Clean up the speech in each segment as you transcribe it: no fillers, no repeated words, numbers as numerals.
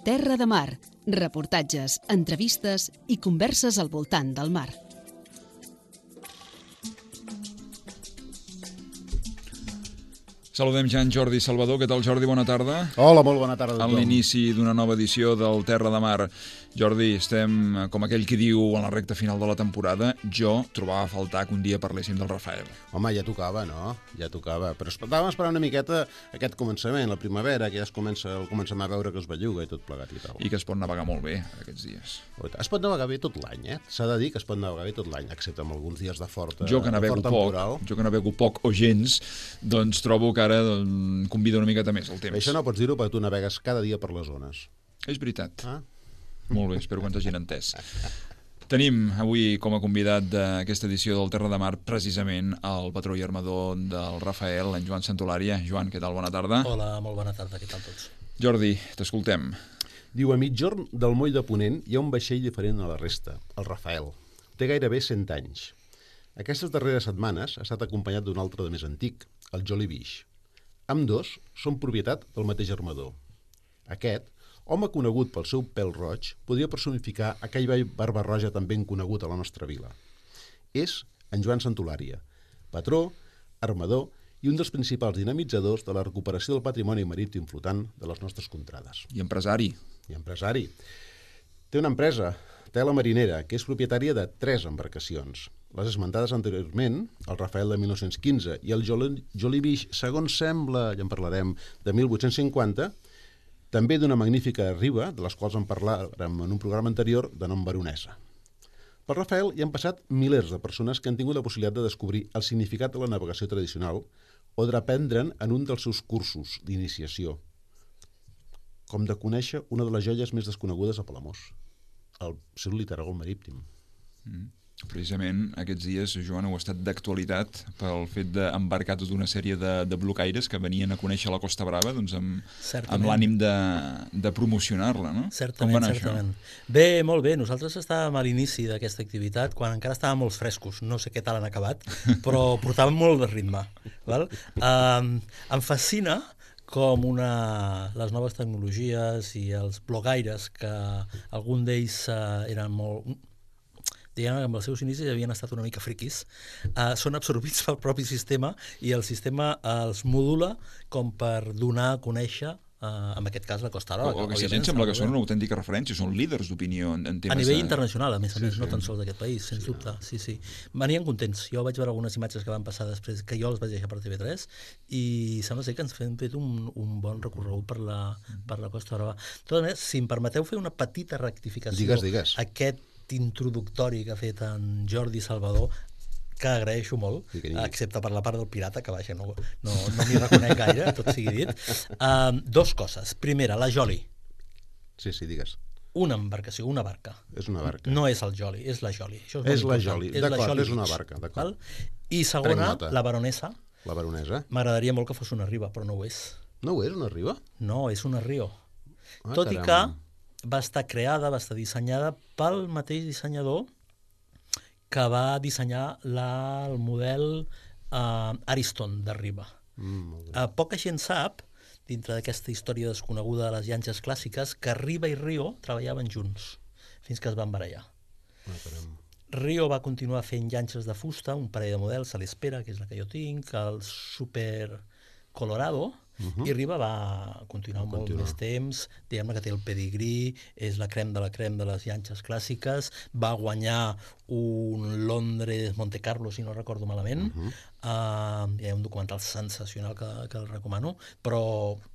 Terra de Mar, reportatges, entrevistes i converses al voltant del mar. Saludem ja en Jordi Salvador. Què tal, Jordi? Bona tarda. Hola, molt bona tarda a tothom. En l'inici d'una nova edició del Terra de Mar. Jordi, estem, com aquell qui diu, en la recta final de la temporada. Jo trobava a faltar que un dia parléssim del Rafael. Home, ja tocava, no? Ja tocava. Però estàvem esperant una miqueta aquest començament, la primavera, que ja comencem a veure que es belluga i tot plegat i tal. I que es pot navegar molt bé aquests dies. Es pot navegar bé tot l'any, eh? S'ha de dir que es pot navegar bé tot l'any, excepte amb alguns dies de forta Jo que navego poc o gens, doncs trobo que ara convida una miqueta més el temps. Això no pots dir-ho perquè tu navegues cada dia per les zones. És veritat. Molt bé, espero que ens hagin entès. Tenim avui com a convidat d'aquesta edició del Terra de Mar precisament el patró i armador del Rafael, en Joan Santolària. Joan, què tal? Bona tarda. Hola, molt bona tarda, què tal tots? Jordi, t'escoltem. Diu, a migjorn del moll de Ponent hi ha un vaixell diferent a la resta, el Rafael. Té gairebé 100 anys. Aquestes darreres setmanes ha estat acompanyat d'un altre de més antic, el Jolly Beach. Ambdós són propietat del mateix armador. Aquest, home conegut pel seu pèl roig, podria personificar aquell vell barba roja tan ben conegut a la nostra vila. És en Joan Santolària, patró, armador i un dels principals dinamitzadors de la recuperació del patrimoni marítim flotant de les nostres contrades. I empresari. Té una empresa, Tela Marinera, que és propietària de 3 embarcacions. Les esmentades anteriorment, el Rafael de 1915 i el Jolly Beach, segons sembla, ja en parlarem, de 1850, també d'una magnífica riba, de les quals en parlarem en un programa anterior, de nom Baronesa. Pel Rafael hi han passat milers de persones que han tingut la possibilitat de descobrir el significat de la navegació tradicional o d'aprendre'n en un dels seus cursos d'iniciació, com de conèixer una de les joies més desconegudes a Palamós, el seu literagol marítim. Precisament aquests dies, Joan, heu estat d'actualitat pel fet d'embarcar tota una sèrie de blocaires que venien a conèixer la Costa Brava doncs amb l'ànim de promocionar-la, no? Certament. Bé, molt bé. Nosaltres estàvem a l'inici d'aquesta activitat quan encara estàvem molt frescos. No sé què tal han acabat, però portàvem molt de ritme. Val? Em fascina com les noves tecnologies i els blogaires, que algun d'ells eren molt... diguem que amb els seus inicis havien estat una mica friquis, són absorbits pel propi sistema i el sistema els modula com per donar a conèixer, en aquest cas, la Costa Brava. O aquesta gent sembla que són una autèntica referència, són líders d'opinió en temes... A nivell internacional, a més, no tan sols d'aquest país, sens dubte. Sí. Venien contents. Jo vaig veure algunes imatges que van passar després, que jo els vaig deixar per TV3, i sembla ser que ens hem fet un bon recorregut per la Costa Brava. Tot més, si em permeteu fer una petita rectificació, Digues. Aquest introductori que ha fet en Jordi Salvador, que agraeixo molt, excepte per la part del pirata, que vaja, no m'hi reconec gaire, tot sigui dit. 2 coses. Primera, la Jolly. Sí, digues. Una embarcació, una barca. És una barca. No és el Jolly, és la Jolly. És la Jolly, d'acord, és una barca, d'acord. I segona, la Baronesa. La Baronesa. M'agradaria molt que fos una riba, però no ho és. No ho és, una riba? No, és una rio. Tot i que va estar creada, va estar dissenyada pel mateix dissenyador que va dissenyar el model Ariston de riba. Poca gent sap, dintre d'aquesta història desconeguda de les llanxes clàssiques, que Riba i Rio treballaven junts fins que es van barallar. Rio va continuar fent llanxes de fusta, un parell de models, a l'Espera, que és la que jo tinc, el Super Colorado, i Riba va continuar molt més temps, diguem-ne que té el pedigrí, és la crem de les llanxes clàssiques, va guanyar un Londres Monte Carlo, si no recordo malament. Hi ha un documental sensacional que el recomano, però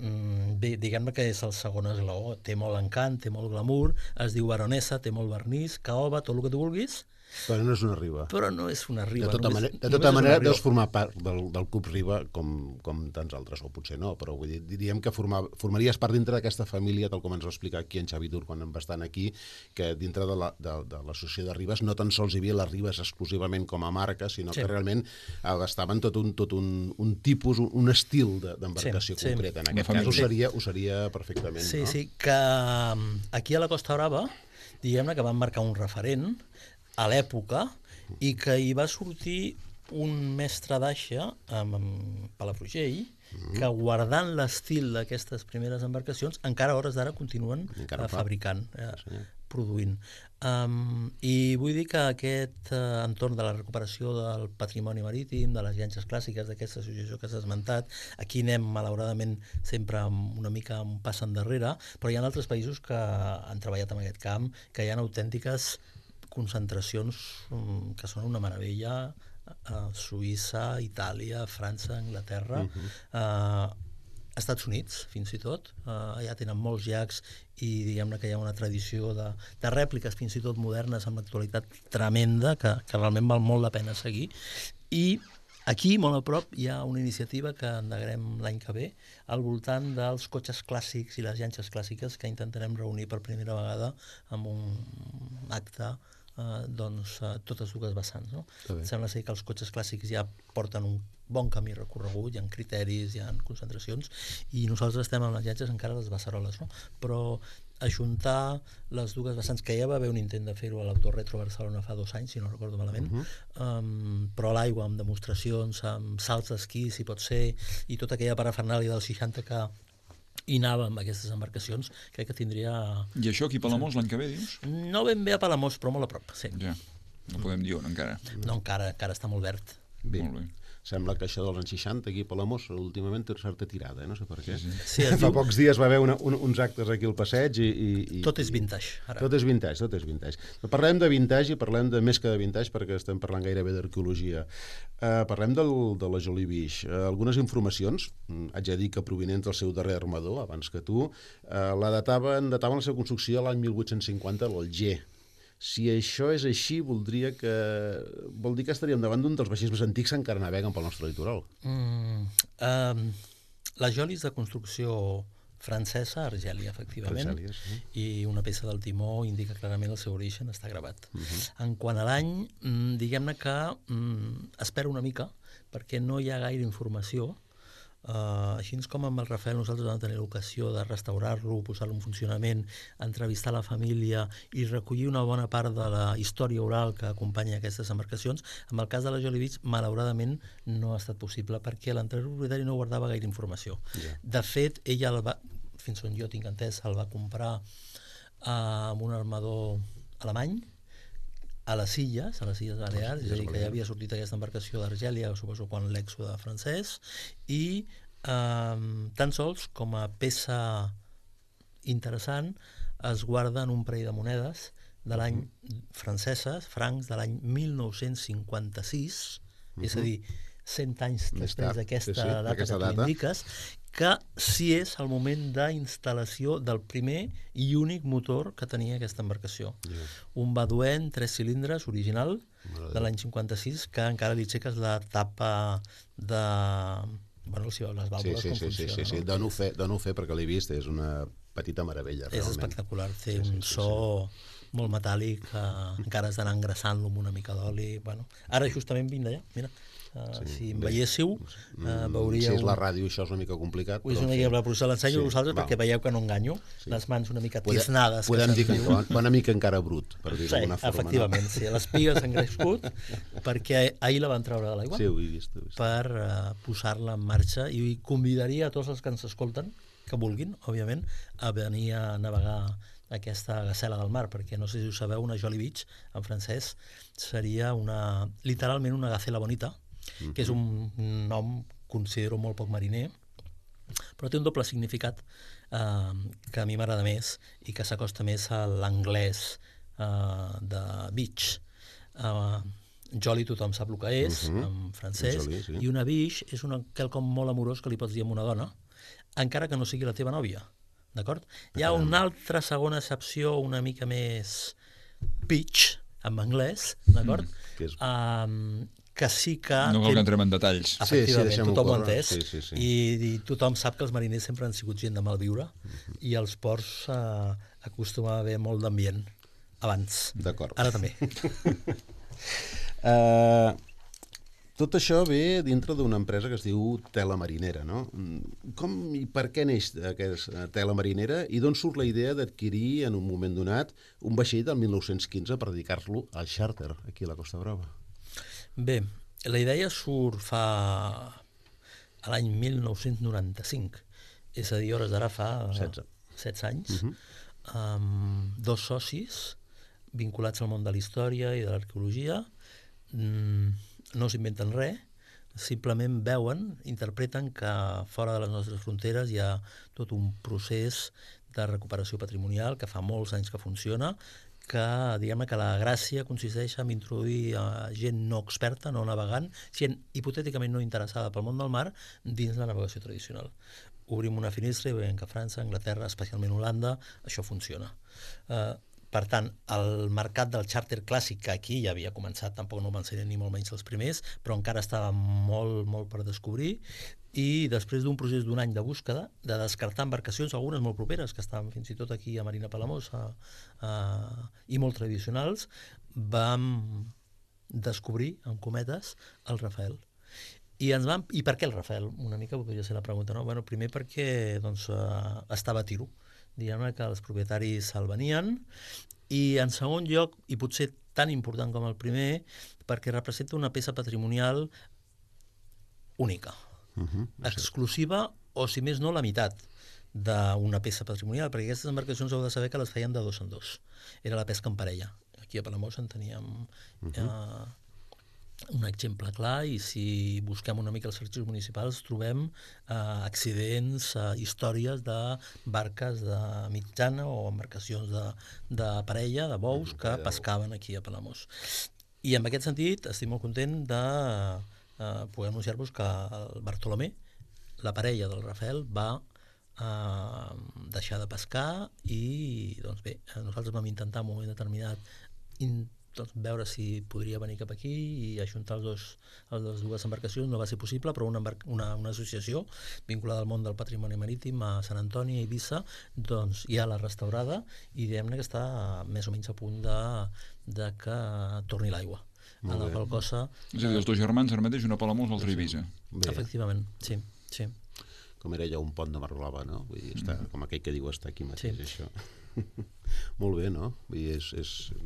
diguem-ne que és el segon eslaó, té molt encant, té molt glamour, es diu Baronesa, té molt vernís, caoba, tot el que tu vulguis. Però no és una riba. De tota manera, deus formar part del Club Riba com tants altres, o potser no, però vull dir, diríem que formaries part dintre d'aquesta família, tal com ens va explicar aquí en Xavi Dur quan va estar aquí, que dintre de l'associació de ribes no tan sols hi havia les ribes exclusivament com a marca, sinó que realment abastaven tot un tipus, un estil d'embarcació concret. En aquest cas ho seria perfectament. Sí, que aquí a la Costa Brava, diguem-ne que van marcar un referent a l'època i que hi va sortir un mestre d'aixa, Palafrugell, que guardant l'estil d'aquestes primeres embarcacions encara a hores d'ara continuen fabricant, produint. I vull dir que aquest entorn de la recuperació del patrimoni marítim, de les llanxes clàssiques, d'aquesta associació que s'ha esmentat, aquí anem malauradament sempre una mica un pas endarrere, però hi ha altres països que han treballat en aquest camp, que hi ha autèntiques concentracions que són una meravella, Suïssa, Itàlia, França, Anglaterra, Estats Units, fins i tot. Allà tenen molts llacs i diguem-ne que hi ha una tradició de rèpliques, fins i tot modernes, amb l'actualitat tremenda, que realment val molt la pena seguir. I aquí, molt a prop, hi ha una iniciativa que endegarem l'any que ve al voltant dels cotxes clàssics i les llanxes clàssiques que intentarem reunir per primera vegada en un acte totes dues vessants. No? Sembla ser que els cotxes clàssics ja porten un bon camí recorregut, hi ha criteris, hi ha concentracions, i nosaltres estem amb les llanxes encara a les beceroles, no? Però ajuntar les dues vessants, que ja va haver un intent de fer-ho a l'Autoretro Barcelona fa 2 anys, si no recordo malament, però a l'aigua, amb demostracions, amb salts d'esquí, si pot ser, i tota aquella parafernàlia dels 60 que hi anava amb aquestes embarcacions, crec que tindria... I això aquí a Palamós l'any que ve, dius? No ben bé a Palamós, però molt a prop, sí. Ja, no podem dir on encara. No, encara està molt verd. Bé. Molt bé. Sembla que això dels anys 60 aquí a Palamós últimament té una certa tirada, no sé per què. Sí, fa pocs dies va haver uns actes aquí al passeig i... Tot és vintage, ara. Tot és vintage. Parlem de vintage i parlem de més que de vintage perquè estem parlant gairebé d'arqueologia. Parlem de la Jolly Beach. Algunes informacions, haig de dir que provinents del seu darrer armador, abans que tu, dataven la seva construcció a l'any 1850 a l'Alger. Si això és així, vol dir que estaríem davant d'un dels vaixells més antics que encara naveguen pel nostre litoral. Les Jollies de construcció francesa, Argèlia, efectivament, i una peça del timó indica clarament el seu origen, està gravat. En quant a l'any, diguem-ne que espero una mica, perquè no hi ha gaire informació. Així com amb el Rafael nosaltres vam tenir l'ocasió de restaurar-lo, posar-lo en funcionament, entrevistar la família i recollir una bona part de la història oral que acompanya aquestes embarcacions. En el cas de la Jolly Beach, malauradament no ha estat possible perquè l'anterior propietari no guardava gaire informació. De fet, ella fins on jo tinc entès, el va comprar amb un armador alemany a les Illes Balears, és a dir, que ja havia sortit aquesta embarcació d'Argèlia, suposo quan l'èxode francès, i tan sols com a peça interessant es guarden un parell de monedes de l'any franceses, francs, de l'any 1956, és a dir, 100 anys després d'aquesta data que tu indiques, que sí és el moment d'instal·lació del primer i únic motor que tenia aquesta embarcació. Un Baudouin 3 cilindres original de l'any 56, que encara li aixeques la tapa de... Bueno, si veus les vàlvules com funciona. Sí, dono fe perquè l'he vist, és una petita meravella, realment. És espectacular, té un so molt metàl·lic, encara has d'anar engraçant-lo amb una mica d'oli. Ara justament vinc d'allà, mira. Si em veiéssiu, veuríeu... Si és la ràdio, això és una mica complicat. És una mica, però us l'ensenyo a vosaltres perquè veieu que no enganyo. Les mans una mica tisnades. Podem dir que una mica encara brut, per dir-ho d'alguna forma. Efectivament, sí. Les pigues han crescut perquè ahir la van treure de l'aigua per posar-la en marxa, i convidaria a tots els que ens escolten, que vulguin, òbviament, a venir a navegar aquesta gacela del mar, perquè no sé si ho sabeu, una Jolly Beach en francès seria literalment una gacela bonita, que és un nom, considero, molt poc mariner, però té un doble significat que a mi m'agrada més i que s'acosta més a l'anglès de beach. Jolly tothom sap el que és, en francès, i una beach és quelcom molt amorós que li pots dir a una dona, encara que no sigui la teva nòvia, d'acord? Hi ha una altra segona accepció una mica més beach, en anglès, d'acord? Que sí que... No cal que entrem en detalls. Efectivament, tothom ho ha entès. I tothom sap que els mariners sempre han sigut gent de mal viure i als ports acostuma a haver molt d'ambient abans. D'acord. Ara també. Tot això ve dintre d'una empresa que es diu Tela Marinera, no? Com i per què neix aquesta Tela Marinera i d'on surt la idea d'adquirir en un moment donat un vaixell del 1915 per dedicar-lo al xàrter aquí a la Costa Brava? Bé, la idea surt fa a l'any 1995, és a dir, hores d'ara fa 16 anys, amb 2 socis vinculats al món de la història i de l'arqueologia. No s'inventen res, simplement veuen, interpreten que fora de les nostres fronteres hi ha tot un procés de recuperació patrimonial que fa molts anys que funciona, que diguem que la gràcia consisteix en introduir gent no experta, no navegant, gent hipotèticament no interessada pel món del mar dins la navegació tradicional. Obrim una finestra i veiem que a França, Anglaterra, especialment Holanda, això funciona. Per tant, el mercat del xàrter clàssic, que aquí ja havia començat, tampoc no van ser ni molt menys els primers, però encara estava molt, molt per descobrir, i després d'un procés d'un any de búsqueda, de descartar embarcacions, algunes molt properes, que estaven fins i tot aquí a Marina Palamós, i molt tradicionals, vam descobrir, amb cometes, el Rafael. I per què el Rafael? Una mica podria ser la pregunta, no? Bueno, primer perquè estava a tiro. Diguem-ne que els propietaris se'l venien, i en segon lloc, i potser tan important com el primer, perquè representa una peça patrimonial única, exclusiva, o si més no, la meitat d'una peça patrimonial, perquè aquestes embarcacions heu de saber que les feien de 2 en 2. Era la pesca en parella. Aquí a Palamós en teníem un exemple clar, i si busquem una mica els arxius municipals trobem accidents, històries de barques de mitjana o embarcacions de parella, de bous, que pescaven aquí a Palamós. I en aquest sentit estic molt content de poder anunciar-vos que el Bartolomé, la parella del Rafael, va deixar de pescar, i doncs bé, nosaltres vam intentar en un moment determinat veure si podria venir cap aquí i ajuntar les dues embarcacions. No va ser possible, però una associació vinculada al món del patrimoni marítim a Sant Antoni i Eivissa doncs ja l'ha restaurada, i diguem-ne que està més o menys a punt de que torni l'aigua. A la qual cosa... És a dir, els 2 germans, ara mateix, una a Palamós, l'altra a Eivissa. Efectivament, sí. Com era ja un pont de mar blava, no? Vull dir, està, com aquell que diu està aquí mateix, això. Molt bé, no? Vull dir,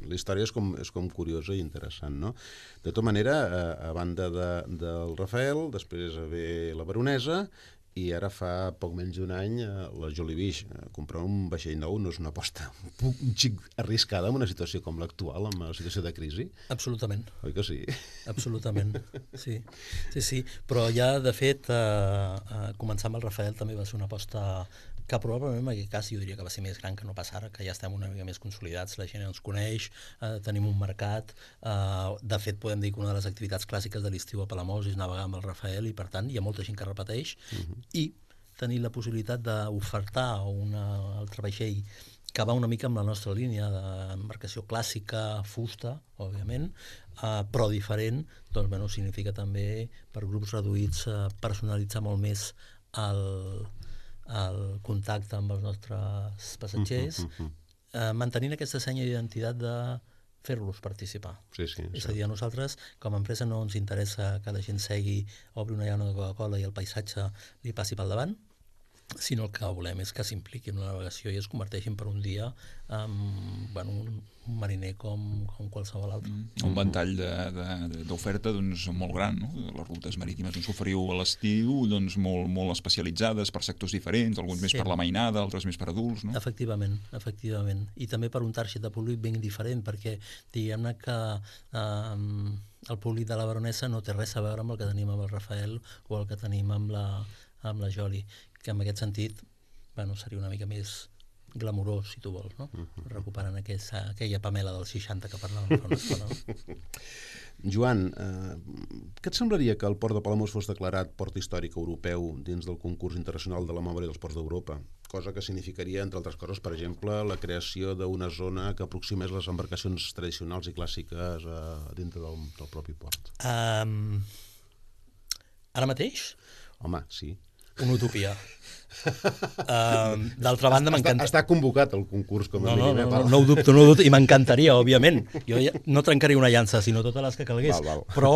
la història és com curiosa i interessant, no? De tota manera, a banda del Rafael, després ve la Baronesa, i ara fa poc menys d'un any la Jolly Beach. Comprar un vaixell nou no és una aposta un xic arriscada en una situació com l'actual, en una situació de crisi? Absolutament. Oi que sí? Absolutament, sí. Però ja, de fet, començar amb el Rafael també va ser una aposta que probablement en aquest cas jo diria que va ser més gran que no pas ara, que ja estem una mica més consolidats, la gent ens coneix, tenim un mercat, de fet podem dir que una de les activitats clàssiques de l'estiu a Palamós és navegar amb el Rafael, i per tant hi ha molta gent que repeteix, i tenir la possibilitat d'ofertar un altre vaixell que va una mica amb la nostra línia d'embarcació clàssica, fusta, òbviament, però diferent, doncs bueno, significa també per grups reduïts personalitzar molt més el contacte amb els nostres passatgers, mantenint aquesta senya d'identitat de fer-los participar. És a dir, a nosaltres, com a empresa, no ens interessa que la gent segui, obri una llauna de Coca-Cola i el paisatge li passi pel davant, sinó el que volem és que s'impliquin en la navegació i es converteixin per un dia en un mariner com qualsevol altre. Un ventall d'oferta molt gran, no? Les rutes marítimes ens oferiu a l'estiu molt especialitzades per sectors diferents, alguns més per la mainada, altres més per adults, no? Efectivament. I també per un target de públic ben diferent, perquè diguem-ne que el públic de la Baronesa no té res a veure amb el que tenim amb el Rafael o el que tenim amb la Jolly, que en aquest sentit seria una mica més glamurós, si tu vols, no? Recuperant aquella Pamela dels 60 que parlàvem fa una estona. No? Joan, què et semblaria que el port de Palamós fos declarat port històric europeu dins del concurs internacional de la memòria dels ports d'Europa? Cosa que significaria, entre altres coses, per exemple, la creació d'una zona que aproximés les embarcacions tradicionals i clàssiques dintre del propi port. Ara mateix? Home, sí. Una utopia. D'altra banda, m'encanta... Està convocat el concurs, com a mínim. No ho dubto, i m'encantaria, òbviament. Jo no trencaria una llança, sinó totes les que calgués. Però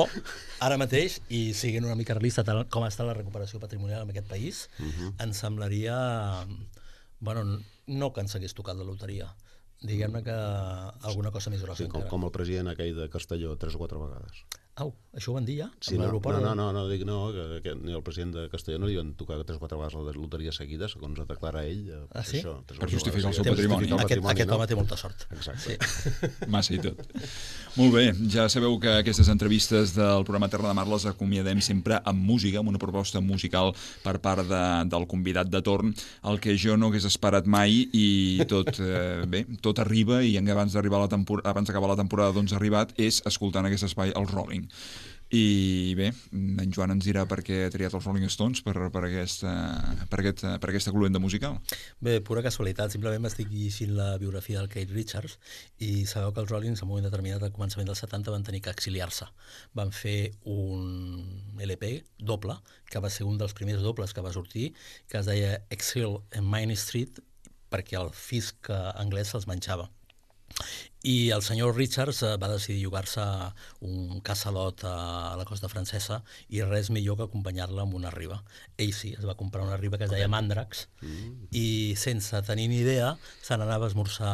ara mateix, i siguent una mica realista com està la recuperació patrimonial en aquest país, em semblaria... no que ens hagués tocat la loteria. Diguem-ne que alguna cosa més grossa encara. Com el president aquell de Castelló 3 o 4 vegades. Au, això ho van dir ja? Sí, Amb l'aeroport? no, dic no, que ni el president de Castellano li van tocar 3 o 4 vegades la loteria seguida, segons declara ell. Sí? Això, Per justificar el seu per patrimoni. justificar el Aquest no? home té molta sort. Exacte. Sí. Massa i tot. Molt bé, ja sabeu que aquestes entrevistes del programa Terra de Mar les acomiadem sempre amb música, amb una proposta musical per part del convidat de torn, el que jo no hagués esperat mai i tot arriba i abans d'acabar la temporada doncs ha arribat, és escoltant aquest espai els Rolling. I bé, en Joan ens dirà per què ha triat els Rolling Stones per aquesta cluenda musical. Bé, pura casualitat, simplement m'estic llegint la biografia del Keith Richards i sabeu que els Rollins en un moment determinat al començament dels 70 van tenir que exiliar-se. Van fer un LP doble, que va ser un dels primers dobles que va sortir, que es deia Exile en Main Street, perquè el fisc anglès se'ls menjava. I el senyor Richards va decidir llogar-se un casalot a la costa francesa i res millor que acompanyar-la amb una riba. Ell sí, es va comprar una riba que es deia Mandrax i sense tenir ni idea se n'anava a esmorzar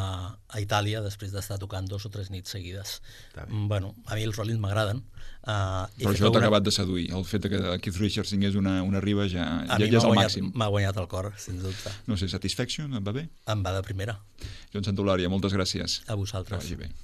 a Itàlia després d'estar tocant 2 o 3 nits seguides. Bueno, a mi els Rollins m'agraden. Però això t'ha acabat de seduir. El fet que Keith Richards tingués una riba ja és el màxim. M'ha guanyat el cor, sens dubte. No sé, Satisfaction, et va bé? Em va de primera. Joan Santolària, moltes gràcies. A vosaltres. Que vagi bé.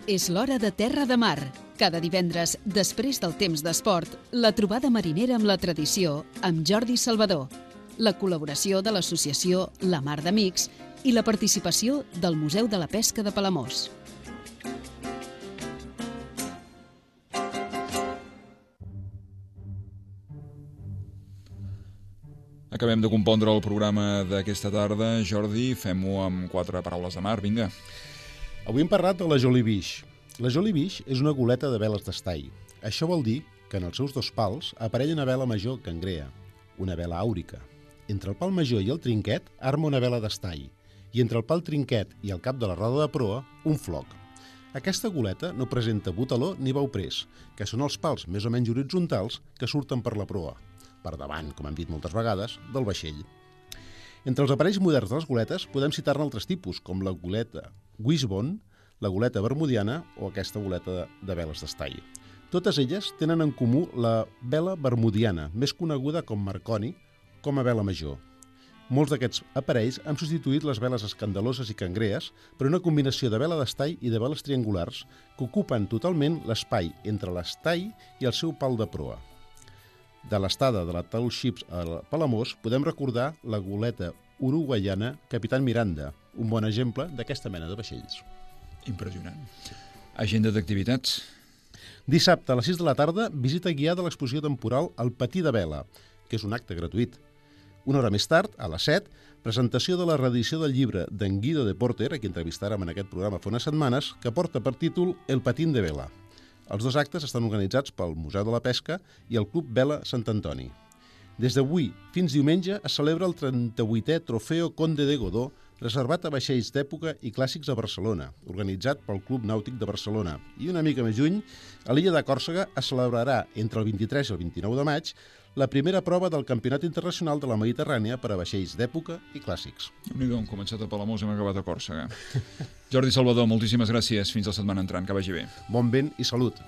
És l'hora de Terra de Mar. Cada divendres, després del temps d'esport, la trobada marinera amb la tradició amb Jordi Salvador, la col·laboració de l'associació La Mar d'Amics i la participació del Museu de la Pesca de Palamós. Acabem de compondre el programa d'aquesta tarda. Jordi, fem-ho amb 4 paraules de mar, vinga. Avui hem parlat de la Jolly Fish. La Jolly Fish és una goleta de veles d'estall. Això vol dir que en els seus 2 pals aparella una vela major cangrea, una vela àurica. Entre el pal major i el trinquet arma una vela d'estall i entre el pal trinquet i el cap de la roda de proa, un floc. Aquesta goleta no presenta botaló ni bauprès, que són els pals més o menys horitzontals que surten per la proa, per davant, com hem dit moltes vegades, del vaixell. Entre els aparells moderns de les goletes podem citar-ne altres tipus, com la goleta Wishbone, la goleta bermudiana o aquesta goleta de veles d'estall. Totes elles tenen en comú la vela bermudiana, més coneguda com Marconi, com a vela major. Molts d'aquests aparells han substituït les veles escandaloses i cangrees per una combinació de vela d'estall i de veles triangulars que ocupen totalment l'espai entre l'estall i el seu pal de proa. De l'estada de la Tall Ships a Palamós podem recordar la goleta uruguaiana Capitán Miranda, un bon exemple d'aquesta mena de vaixells. Impressionant. Agenda d'activitats. Dissabte a les 6 de la tarda, visita guiada a l'exposició temporal El Patí de Vela, que és un acte gratuït. Una hora més tard, a les 7, presentació de la reedició del llibre d'en Guido de Porter, a qui entrevistàrem en aquest programa fa unes setmanes, que porta per títol El Patín de Vela. Els 2 actes estan organitzats pel Museu de la Pesca i el Club Vela Sant Antoni. Des d'avui fins diumenge es celebra el 38è Trofeo Conde de Godó, reservat a vaixells d'època i clàssics a Barcelona, organitzat pel Club Nàutic de Barcelona. I una mica més lluny, a l'illa de Còrsega es celebrarà entre el 23 i el 29 de maig la primera prova del Campionat Internacional de la Mediterrània per a vaixells d'època i clàssics. Déu-n'hi-do, hem començat a Palamós i hem acabat a Còrsega. Jordi Salvador, moltíssimes gràcies. Fins la setmana entrant. Que vagi bé. Bon vent i salut.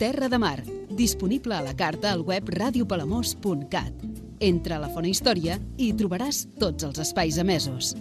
Terra de Mar, disponible a la carta al web radiopalamós.cat. Entra a la Fona Història i hi trobaràs tots els espais emesos.